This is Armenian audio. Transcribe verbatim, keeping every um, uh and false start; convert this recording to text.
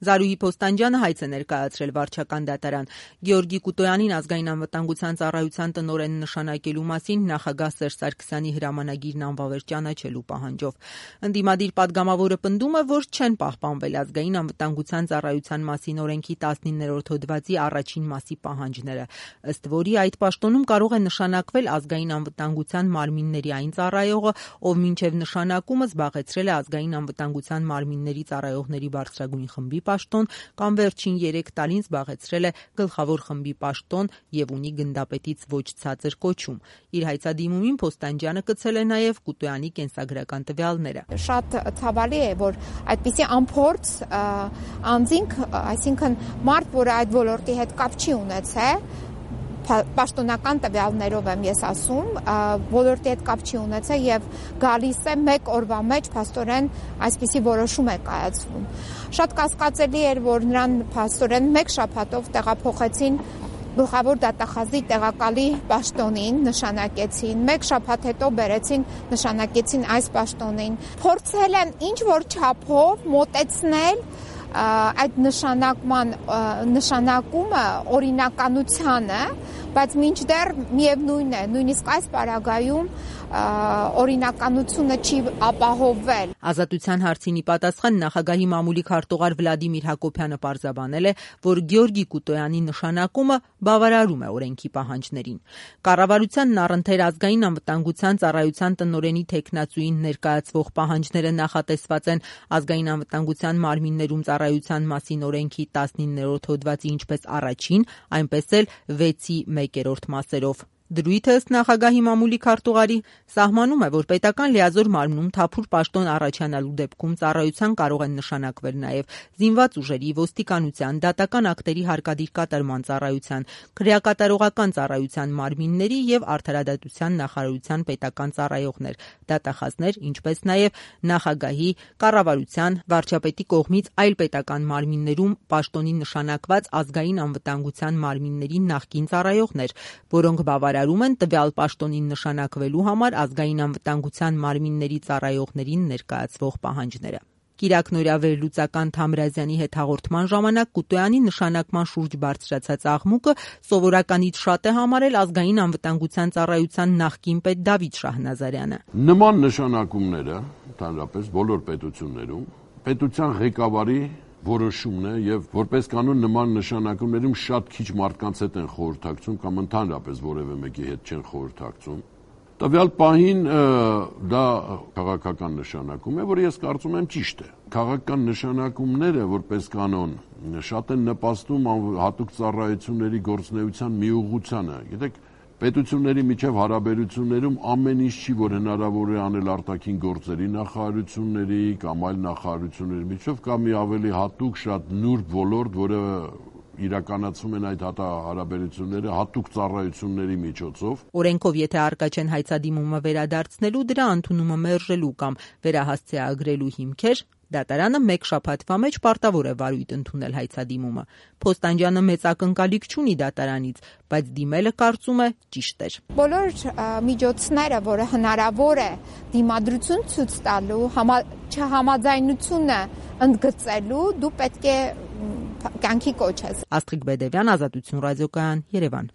Զարուհի Փոստանջյանը հայց է ներկայացրել վարչական դատարան։ Գեորգի Կուտոյանին ազգային անվտանգության ծառայության տնօրեն նշանակելու մասին նախագահ Սերժ Սարգսյանի հրամանագիրն անվավեր ճանաչելու պահանջով։ Ընդդիմադիր պատգամավորը պնդում է, որ չեն պահպանվել ազգային անվտանգության ծառայության մասին օրենքի տասնիններորդ հոդվածի առաջին մասի պահանջները, ըստ որի այդ պաշտոնում կարող է նշանակվել ազգային անվտանգության մարմինների այն ծառայողը, ով մինչև նշանակումը զբաղեցրել է ազգային անվտանգության մարմինների ծառայողների բարձրագույն խմբի պաշտոն կամ վերջին երեք տարին զբաղեցրել է գլխավոր խմբի պաշտոն եւ ունի գնդապետից ոչ ցածր կոչում։ Իր հայցադիմումին Փոստանջյանը կցել է նաեւ Կուտոյանի կենսագրական տվյալները։ Շատ ցավալի է, որ այդպիսի անփորձ անձինք, այսինքն մարդ, որը այդ ոլորտի հետ կապ չի ունեցել, պաշտոնական տվյալներով եմ ես ասում, ոլորտի հետ կապ չի ունեցել եւ գալիս է մեկ օրվա մեջ փաստորեն այսպիսի որոշում է կայացվում։ Շատ կասկածելի էր, որ նրան փաստորեն մեկ շաբաթով տեղափոխեցին գլխավոր դատախազի տեղակալի պաշտոնին, նշանակեցին, մեկ շաբաթ հետո բերեցին, նշանակեցին այս պաշտոնին։ Փորձել են ինչ որ չափով մոտեցնել այդ նշանակման նշանակումը օրինականությանը, բայց մինչդեռ միևնույն է, նույնիսկ այս պարագայում օրինականությունը չի ապահովվել։ Ազատության հարցին ի պատասխան նախագահի մամուլի քարտուղար Վլադիմիր Հակոբյանը պարզաբանել է, որ Գեորգի Կուտոյանի նշանակումը բավարարում է օրենքի պահանջներին։ Կառավարությանն առընթեր ազգային անվտանգության ծառայության տնօրենի թեկնածուին ներկայացվող պահանջները նախատեսված են ազգային անվտանգության մարմիններում ծառայության մասին օրենքի տասնիններորդ հոդվածի ինչպես առաջին, այնպես էլ վեցի մեկերորդ մասերով։ Դրույթը ըստ նախագահի մամուլի քարտուղարի սահմանում է, որ պետական լիազոր մարմնում թափուր պաշտոն առաջանալու դեպքում ծառայության կարող են նշանակվել նաև զինված ուժերի, ոստիկանության, դատական ակտերի հարկադիր կատարման ծառայության, քրեակատարողական ծառայության մարմինների եւ արդարադատության նախարարության պետական ծառայողներ, դատախազներ, ինչպես նաև նախագահի, կառավարության, վարչապետի կողմից այլ պետական մարմիններում պաշտոնի նշանակված ազգային անվտանգության մարմինների նախկին ծառայողներ, որոնք բավարար են տվյալ պաշտոնին նշանակվելու համար ազգային անվտանգության մարմինների ծառայողներին ներկայացվող պահանջները։ Կիրակ Նորավեր-Լուծական Թամրազյանի հետ հաղորդման ժամանակ Կուտոյանի նշանակման շուրջ բարձրացած աղմուկը սովորականից շատ է համարել ազգային անվտանգության ծառայության նախկին պետ Դավիթ Շահնազարյանը։ Նման նշանակումները ընդհանրապես բոլոր պետություններում պետության ղեկավարի որոշումն է եւ որպես կանոն նման նշանակումներում շատ քիչ մարդկանց հետ են խորհրդակցում կամ ընդհանրապես որևէ մեկի հետ չեն խորհրդակցում։ Տվյալ պահին դա քաղաքական նշանակում է, որը ես կարծում եմ ճիշտ է։ Քաղաքական նշանակումները որպես կանոն շատ են նպաստում հատուկ ծառայությունների գործունեության միուղղությանը։ Գիտեք, պետությունների միջև հարաբերություններում ամեն ինչ չի, որ հնարավոր է անել արտաքին գործերի նախարարությունների կամ այլ նախարարությունների միջև, կամ մի ավելի հատուկ շատ նուրբ ոլորտ, որը իրականացում են այդ հարաբերությունները հատուկ ծառայությունների միջոցով։ Օրենքով եթե առկա չեն հայցադիմումը վերադարձնելու, դրա ընդունումը մերժելու կամ վերահասցեագրելու հիմքեր, դատարանը մեկ շաբաթվա մեջ պարտավոր է վարույթ ընդունել հայցադիմումը։ Փոստանջյանը մեծ ակնկալիք չունի դատարանից, բայց դիմելը կարծում է ճիշտ էր։ Բոլոր միջոցները, որը հնարավոր է դիմադրություն ցույց տալու, չհամաձայնությունը ընդգծելու, դու պետք է կյանքի կոչես։ Աստղիկ Բեդևյան, Ազատություն ռադիոկայան, Երևան։